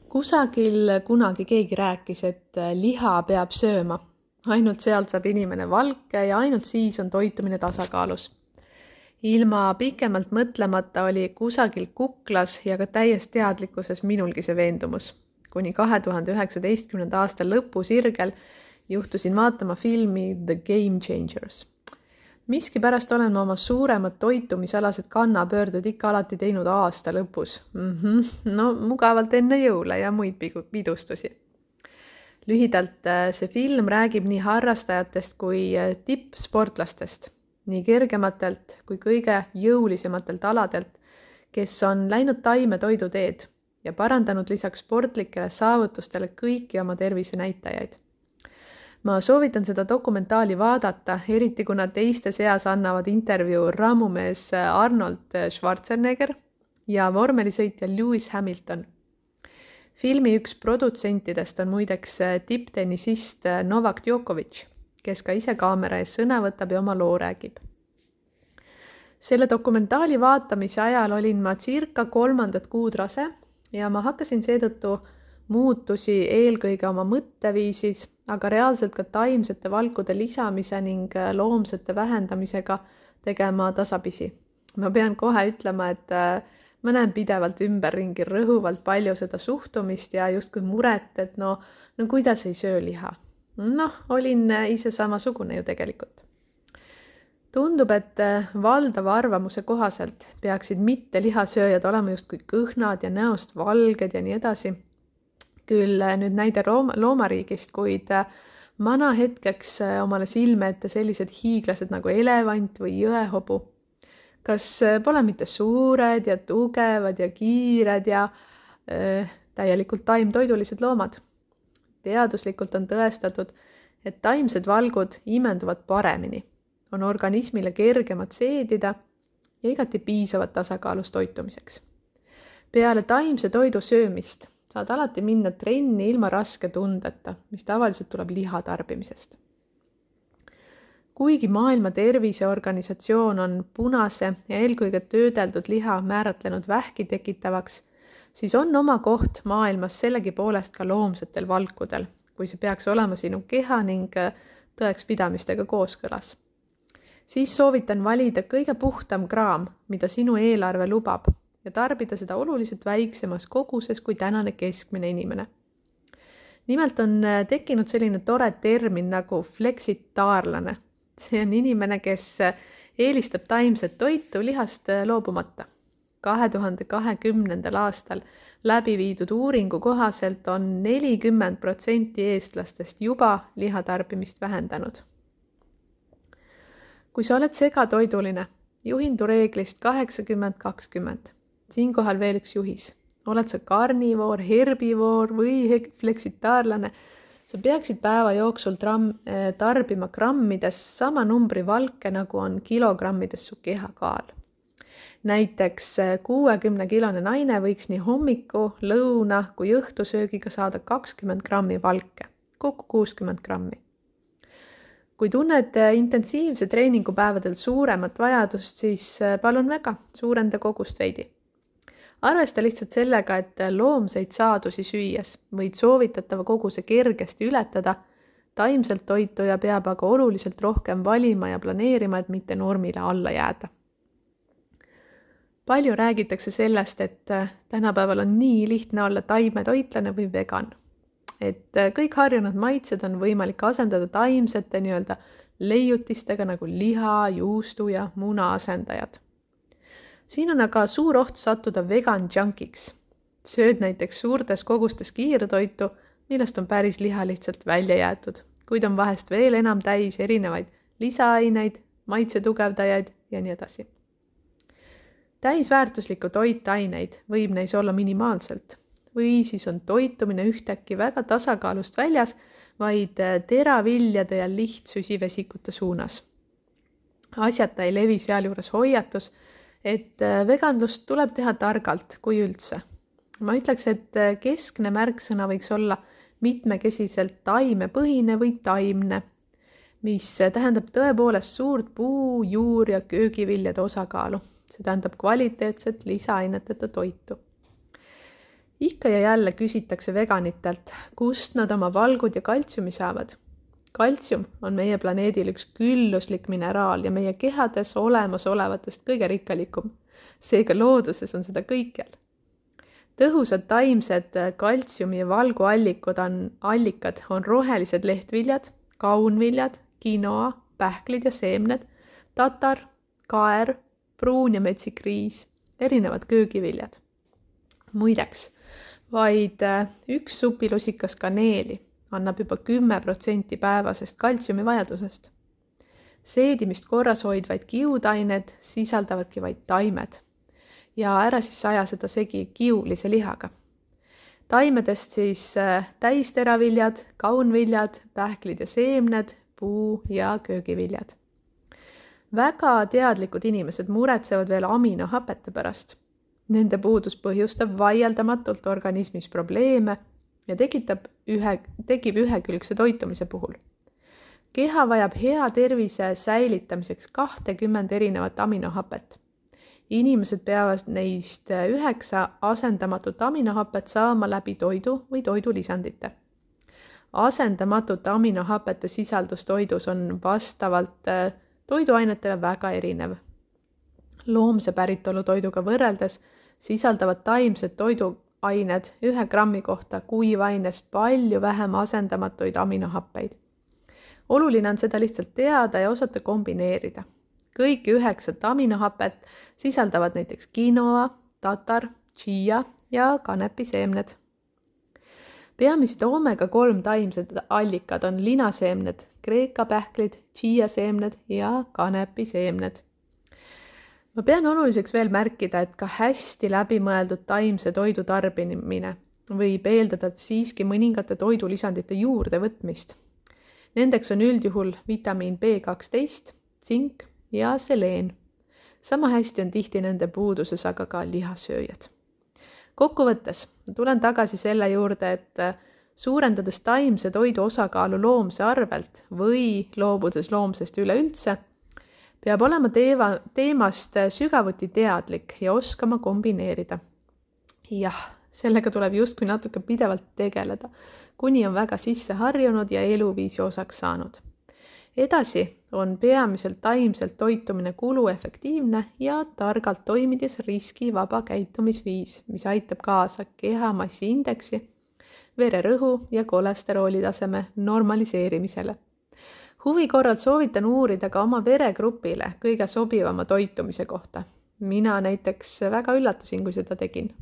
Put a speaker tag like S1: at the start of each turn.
S1: Kusagil kunagi keegi rääkis, et liha peab sööma. Ainult sealt saab inimene valke ja ainult siis on toitumine tasakaalus. Ilma pikemalt mõtlemata oli kusagil kuklas ja ka täies teadlikkuses minulgi see veendumus. Kuni 2019. aasta lõpu sirgel juhtusin vaatama filmi The Game Changers. Miskipärast olen ma oma suuremad toitumisalased kannapöörded ikka alati teinud aasta lõpus. No mugavalt enne jõule ja muid pidustusi. Lühidalt see film räägib nii harrastajatest kui tippsportlastest, nii kergematelt kui kõige jõulisematelt aladelt, kes on läinud taimetoidu teed ja parandanud lisaks sportlikele saavutustele kõiki oma tervisenäitajaid. Ma soovitan seda dokumentaali vaadata, eriti kuna teiste seas annavad intervjuu rammumees Arnold Schwarzenegger ja vormelisõitja Lewis Hamilton. Filmi üks produtsentidest on muideks tipptennisist Novak Djokovic, kes ka ise kaamera ees sõna võtab ja oma loo räägib. Selle dokumentaali vaatamise ajal olin ma circa 3. kuud rase ja ma hakkasin seetõttu muutusi eelkõige oma mõtteviisis, aga reaalselt ka taimsete valkude lisamise ning loomsete vähendamisega tegema tasapisi. Ma pean kohe ütlema, et ma näen pidevalt ümberringi rõhuvalt palju seda suhtumist ja justkui muret, et no kuidas ei söö liha. Olin ise samasugune ju tegelikult. Tundub, et valdava arvamuse kohaselt peaksid mitte lihasööjad olema justkui kõhnad ja näost valged ja nii edasi. Küll nüüd näide loomariigist, kuid mana hetkeks omale silme ette sellised hiiglased nagu elevant või jõehobu. Kas pole mitte suured ja tugevad ja kiired ja täielikult taimtoidulised loomad? Teaduslikult on tõestatud, et taimsed valgud imenduvad paremini, on organismile kergemad seedida ja igati piisavad tasakaalus toitumiseks. Peale taimse toidu söömist saad alati minna trenni ilma raske tundeta, mis tavaliselt tuleb liha tarbimisest. Kuigi Maailma Terviseorganisatsioon on punase ja eelkõige töödeldud liha määratlenud vähki tekitavaks, siis on oma koht maailmas sellegipoolest ka loomsetel valkudel, kui see peaks olema sinu keha ning tõekspidamistega kooskõlas. Siis soovitan valida kõige puhtam kraam, mida sinu eelarve lubab, ja tarbida seda oluliselt väiksemas koguses kui tänane keskmine inimene. Nimelt on tekkinud selline tore termin nagu fleksitaarlane. See on inimene, kes eelistab taimset toitu lihast loobumata. 2020. aastal läbi viidud uuringu kohaselt on 40% eestlastest juba lihatarbimist vähendanud. Kui sa oled segatoiduline, juhindu reeglist 80-20. Siinkohal veel üks juhis. Oled sa karnivoor, herbivoor või fleksitaarlane, sa peaksid päeva jooksul tarbima grammides sama numbri valke, nagu on kilogrammides su kehakaal. Näiteks 60-kilone naine võiks nii hommiku, lõuna kui õhtusöögiga saada 20 grammi valke, kokku 60 grammi. Kui tunned intensiivse treeningupäevadel suuremat vajadust, siis palun väga, suurenda kogust veidi. Arvesta lihtsalt sellega, et loomseid saadusi süües võid soovitatava koguse kergesti ületada, taimselt toituja peab aga oluliselt rohkem valima ja planeerima, et mitte normile alla jääda. Palju räägitakse sellest, et tänapäeval on nii lihtne olla taimetoitlane või vegan. Et kõik harjunud maitsed on võimalik asendada taimsete leiutistega nagu liha, juustu ja muna asendajad. Siin on aga suur oht sattuda vegan junkiks. Sööd näiteks suurtes kogustes kiirtoitu, millest on päris liha lihtsalt välja jäetud, kuid on vahest veel enam täis erinevaid lisaaineid, maitsetugevdajaid ja nii edasi. Täisväärtuslikku toitaineid võib neis olla minimaalselt või siis on toitumine ühtäkki väga tasakaalust väljas, vaid teraviljade ja lihtsüsivesikute suunas. Asjata ei levi sealjuures hoiatus, et veganlust tuleb teha targalt, kui üldse. Ma ütleks, et keskne märksõna võiks olla mitmekesiselt taimepõhine või taimne, mis tähendab tõepoolest suurt puu-, juur- ja köögiviljade osakaalu. See tähendab kvaliteetset lisaaineteta toitu. Ikka ja jälle küsitakse veganitelt, kust nad oma valgud ja kaltsiumi saavad. Kaltsium on meie planeedil üks külluslik mineraal ja meie kehades olemasolevatest kõige rikkalikum. Seega looduses on seda kõikjal. Tõhusad taimsed kaltsiumi ja valgu allikad on rohelised lehtviljad, kaunviljad, quinoa, pähklid ja seemned, tatar, kaer, pruun ja metsikriis, erinevad köögiviljad. Muideks, vaid üks supilusikas kaneeli annab juba 10% päevasest kaltsiumi vajadusest. Seedimist korras hoidvaid kiudained sisaldavadki vaid taimed ja ära siis aja seda segi kiulise lihaga. Taimedest siis täisteraviljad, kaunviljad, pähklid ja seemned, puu- ja köögiviljad. Väga teadlikud inimesed muretsevad veel aminohapete pärast. Nende puudus põhjustab vaieldamatult organismis probleeme ja tekib ühekülgse toitumise puhul. Keha vajab hea tervise säilitamiseks 20 erinevat aminohapet. Inimesed peavad neist 9 asendamatut aminohapet saama läbi toidu või toidulisandite. Asendamatut aminohapete sisaldus toidus on vastavalt toiduainetele väga erinev. Loomse päritolu toiduga võrreldes sisaldavad taimsed toiduained 1 grammi kohta kuivaines palju vähem asendamatuid aminohappeid. Oluline on seda lihtsalt teada ja osata kombineerida. Kõiki 9 aminohapet sisaldavad näiteks quinoa, tatar, chia ja kanepiseemned. Peamised omega-3 taimsed allikad on linaseemned, kreeka pähklid, chia-seemned ja kanepiseemned. Ma pean oluliseks veel märkida, et ka hästi läbimõeldud taimse toidu tarbimine võib eeldada siiski mõningate toidulisandite juurde võtmist. Nendeks on üldjuhul vitamiin B12, tsink ja seleen. Sama hästi on tihti nende puuduses aga ka lihasööjad. Kokkuvõttes tulen tagasi selle juurde, et suurendades taimse toidu osakaalu loomse arvelt või loobudes loomsest üleüldse, peab olema teemast sügavuti teadlik ja oskama kombineerida. Jah, sellega tuleb justkui natuke pidevalt tegeleda, kuni on väga sisse harjunud ja eluviisi osaks saanud. Edasi on peamiselt taimselt toitumine kuluefektiivne ja targalt toimides riskivaba käitumisviis, mis aitab kaasa kehamassiindeksi, vererõhu ja kolesterooli taseme normaliseerimisele. Huvi korral soovitan uurida ka oma veregrupile kõige sobivama toitumise kohta. Mina näiteks väga üllatusin, kui seda tegin.